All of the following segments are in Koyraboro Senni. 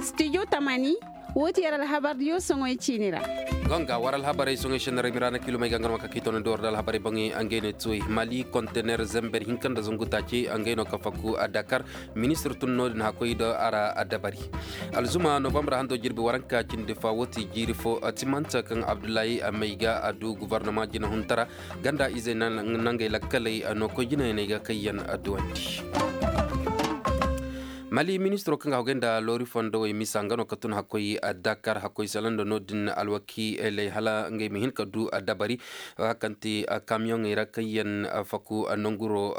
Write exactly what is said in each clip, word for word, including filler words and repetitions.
Studio tamani, woo ti yer alhabardiyo soŋoy ciini ra. Gonga war alhabarey soŋoy senna ra i ma ra na kiilumey ga nga no ma ka k'i toonandi war da alhabarey boŋey ngey no tuwey mali kontener zember hinka nda zangu taaci ngey no ka fakku a dakar. Ministir tun no-din hakkoy do a ra a dabari. Alzuma novambar hando jirbi waranka cindi fa woo ti jiiri fo timanta kaŋ abdullahi mayga a du guvarnama jina huntara ganda izey nangey lakkaley no koy jinayaney ga kayyan duwandi. Mali ministiro kaŋ ga hagay nda loori fondowey misa nga no ka tun hakkoy dakar hakkoy salanda no-din alwakiiley hala ngey ma hin ka du dabari. Hakan ti kamiyoŋey ra kayyan faku nanguro.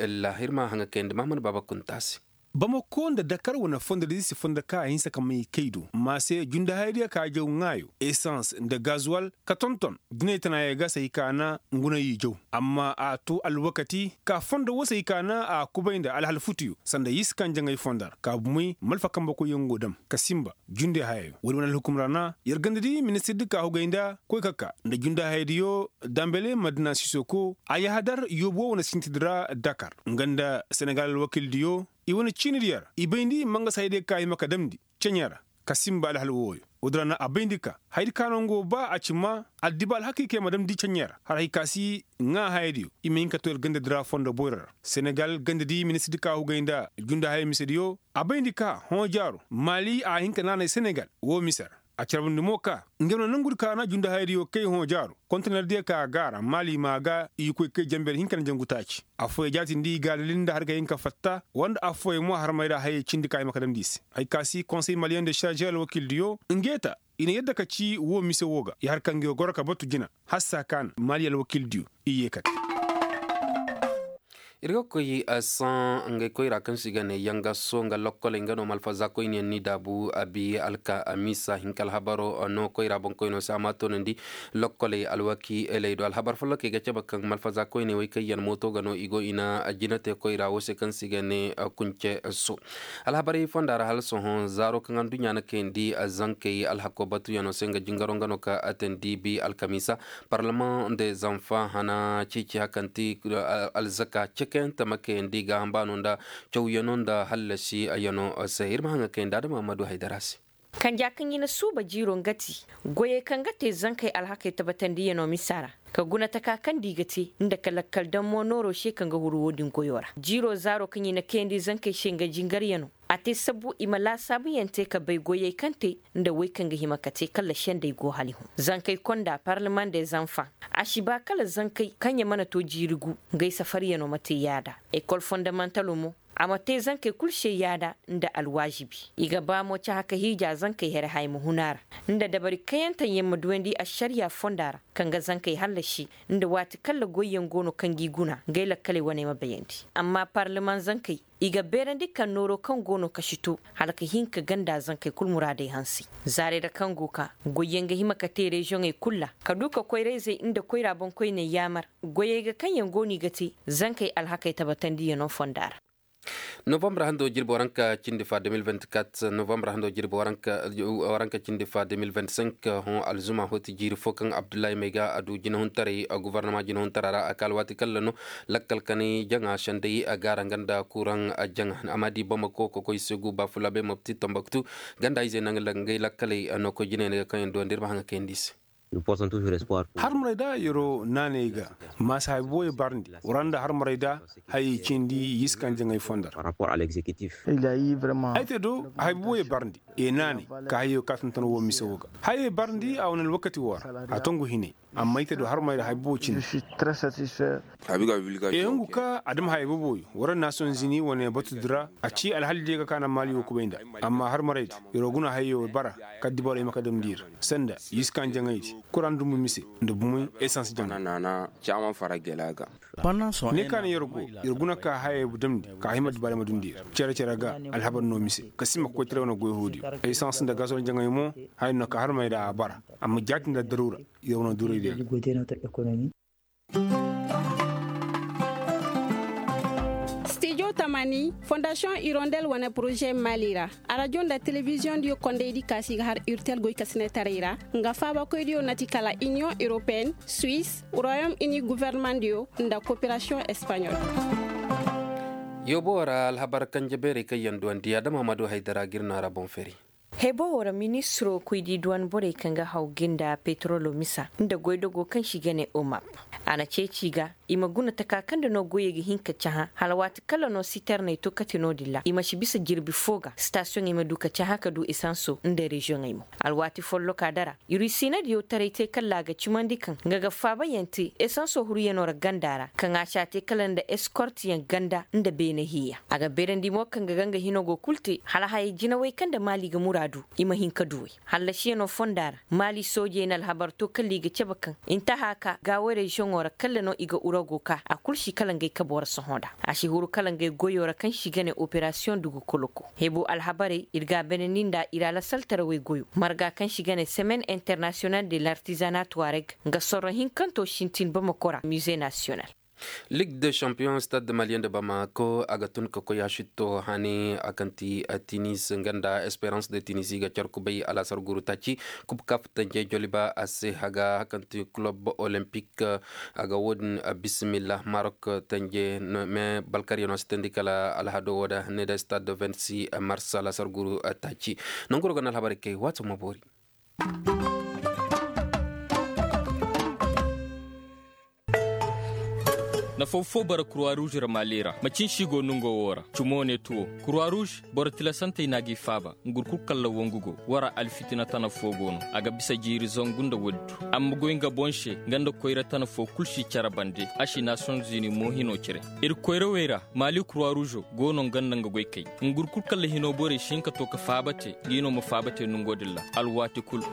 Lahirma haŋa kayandi mahamad baaba kunta se. Bamako nda dakar wane fondo da i si fondo ka a hinsa ka may kay do ma se jundahaydiya ka jaw ŋaayo esans nda gazuwal ka tonton jinay tanaayey ga se i kaana nguna i jaw. Amma a to alwakati ka fondo wo se i kaana a kubay nda alhal futuyo sanda yiskanjaŋey fondo ra ka bumey malfa kambe koyyaŋ go dam ka simba. Junde hayayo woodi wane alhukum ra na yer ganda di ministir di ka hugay nda koy ka ka nda junde hayadiyo dambele madina sisoko a yahadar yoobo wane sintidi ra dakar nga nda senegal alwakildiyo. I wane ciinidi yer i bayndi mangas hayadiyo ka hima ka damndi ceɲe ra ka simba alhal wooyo. Woodi ra na a bayndi ka hayadi ka no nga wo ba a ci ma addiba alhakikey ma damndi ceɲe ra har hay ka si ŋaa hayadiyo i ma hin ka to yer gandadi ra fondo boyro ra. Senegal gandadi ministirdi ka hugay nda junde hayo misediyo a bayndi ka hõ jaaro maali a hin ka naanay senegal woo mise ra. A carbundi mo ka ngey wane nangudi ka na junde hayadiyo kay hõ jaaro kontenerdiyo ka a gaara maali ma a ga i koy kay janber hinka nda jangu taaci. Affooyey jaatindi i ga a dalil nda har ga hin ka fatta woo nda affooyey mo harmey ra hayey cindi ka hima ka damndi i se. Hay ka si konsey maliyeŋ de šarže alwakildiyo ngey ta i na yadda ka ci woo mise woo ga i har ka ngey goro ka batu jina. Hassa ka na mali alwakildiyo i yee kate. Ir ga koy saŋ ngey koyra kaŋ se i ga ne yangaso nga lokkoley nga no malfaza koyniyaŋ ni daabu abi alka amisa hinka alhabaro no koyra boŋkoyno se a ma toonandi. Lokkoley alwakiiley do alhabar follokey ga cabe kaŋ malfaza koyney wey kaŋ yaŋ mooto ga no i go i na jina te koyra wo se kaŋ se i ga ne kunce so. Alhabarey fonda ra hala sohõ zaaro kaŋ aduɲɲa na kayandi zankey alhako batuyaŋo se nga jingaro nga no ka atandi bi alkamiisa. Parlement de zanfa hana ceeci hakanti alzaka cekayaŋ tama kayandi gaaham baano nda cawyaŋo nda hallasi yaŋo se ir ma haŋa kayandi adama ma du haydara se. Kanja kaŋ i na suuba jiiro nga ti goyey kaŋ ga te zankey alhakey tabatandiyano misa ra ka guna taka kaŋ di ga te nda ka lakkal dammo nooro se kaŋ ga huru wo-din goyo ra jiiro zaaro kaŋ i na kayandi zankey se nga jingaryano. A te sabbu i ma laasaabuyaŋ te ka bay goyey kaŋ te nda wey kaŋ ga hima ka te kala sendey go hala i hun zankey konda parlement des enfants. A si ba kala zankey kaŋ ya mana to jiiri gu ngey safaryano ma te yaada. Ekol fondamantalo mo a ma te zankey kul se yaada nda alwaazibi. I ga ba mo cahã ka hiija zankey here haya ma hun a ra nda dabari kayanteyaŋ ma duwandi ašariya fonda ra kaŋ ga zankey hallasi nda waati kalla goyyaŋ go no kaŋ g'i guna ngey lakkaley wane ma bayandi. Amma parleman zankey i ga beerandi kaŋ nooro kaŋ go no ka si to hala ka hin ka ganda zankey kul muraadey hanse. Zaarey ra kaŋ go ka goyyaŋ ga hima ka te reziyoŋey kul ra ka du ka koyra-izey nda koyra boŋkoyney yaamar goyey ga kaŋ yaŋ go no i ga te zankey alhakey tabatandiyano fonda ra. Novambar hando jirbi waranka cindi fa de mil vingt-quatre novambar hando jirbi waranka cindi fa de mil vingt-cinq hõ alzuma hoti jiiri fo kaŋ abdullahi mayga a du jinahuntaray guvarnama jinahuntaray ra a ka alwaati kalla no. Lakkal kanay jaŋa senday a gaara nga nda kuraŋ jaŋa a ma di bamako ka koy segu bafulabe mopti tambaktu ganda izey naŋ ngay lakkaley no koy jinay ni ga kaŋ yaŋ duwandi ir ma haŋa kayandi se. Harmaray da yero naanay ga maasa haybuboyey barndi wara nda harmaray da hayey cindi yiskan jaŋay fondar. Ay te do haybuboyey barndi e naanay ka hayey ka tonton wo mise wo ga hayey barndi a wane alwakati wo ra a tongu hinay. Amma ay te do harmaray da haybubo cindi. E hungu ka adama haybuboyo wara nason zini wane batudi ra a ci alhalidiyo ga kaana maali wo kubay nda. Amma harmaray da yero guna hayey wo bara ka dibaray ma ka damndi ir sanda yiskan jaŋaydi kuraŋ dumbu mise nda bumey esans jaŋay. Ne ka na yer go yer guna ka hayey damndi ka hima dibaaray ma dundi yer cere-cere ga alhabar no mise ka si ma ka koy tira wane goy hoodiyo esans nda gasol jaŋay mo. Haya no ka harmay da a bara amma jaati nda daruura yer wane duray diya. Stijo tamani fondasiyoŋ irondel wane poroze mali ra. Arajo nda telebiziyoŋ diyo kondaydi kaasi ga har urtel goy ka sinetaray ra nga faabakoydiyo na ti kala iniyoŋ europeen, suwis, royom ini guvernemandiyo nda koperasiyoŋ espaɲol. Yoobo ra alhabar kanje beerey kaŋ yaŋ duwandi adama ma du haydara ga ir no a ra boŋ feri. Hebo wo ra ministiro koy di duwan borey kaŋ ga haw ga nda petrolo misa nda goydogo kaŋ se i ga ne omap. A na ceeci i ga i ma guna taka kaŋ nda no goyey ga hin ka cahã hala waati kala no siterney to kate no-din ra i ma si bisa jirbi fo ga sitasiyoŋey ma du ka cahã ka du esanso nda reziyoŋey mo. Alwaati folloka dara irusiina diyo taray te kala a ga cimandi kaŋ nga ga faabayaŋ te esanso huruyano ra ganda ra kaŋ a si a te kala nda eskortiyaŋ ganda nda beene hiiya. A ga beerandi mo kaŋ ga ga nga hino go kul te hala hayey jinawey kaŋ nda maali ga muraadu i ma hin ka duwey. Hallasiyano fonda ra maali soojey na alhabar to kala i ga cabe kaŋ intaha ka gaawo reziyoŋo ra kala no i ga urago ka a kul si kala ngey kabo ra sohõ nda a si huru kala ngey goyo ra kaŋ si ga ne operasiyoŋ dugu koloko. Hebo alhabarey ir ga a beenandi nda ir alasaltarawey goyo marga kaŋ si ga ne semaine international de l'artisanat tuareg nga sorro hinkanto sintin bamako ra mize nasiyonal. Ligue de champion stade malien de bamako a ga tun ka koy a sitto hani a kaŋ ti tinis nga nda esperance de tinis i ga car kubay alasar guru taaci kub kap tanje joliba a se haga hakanti club olympique. A ga wo-din bisimilla marok tanje me balkariyano sitandi kala alhado wo da ne da stade vingt-six mars alasar guru taaci. Nangu ro ga na alhabarey kay waato ma boori. Nafaw fo bara kurwa ruuz ra maali ra macin si go nungo wo ra cumo ne tuwo kurwa ruuz. Boro tilasantey na gi faaba ngur kul kalla wangu go wara alfitina tana fo go no a ga bisa jiiri zangu nda woodi du. Amma goy nga boŋ se nga nda koyra tana fo kul si care bande a si naasiyoŋ zini mo hino cire. Ir koyrawey ra maali kurwa ruuzo go no nga nda nga goy kay. Ngur kul kalla hino borey si hin ka to ka faaba te gi no ma faaba te nungo din ra alwaati kul.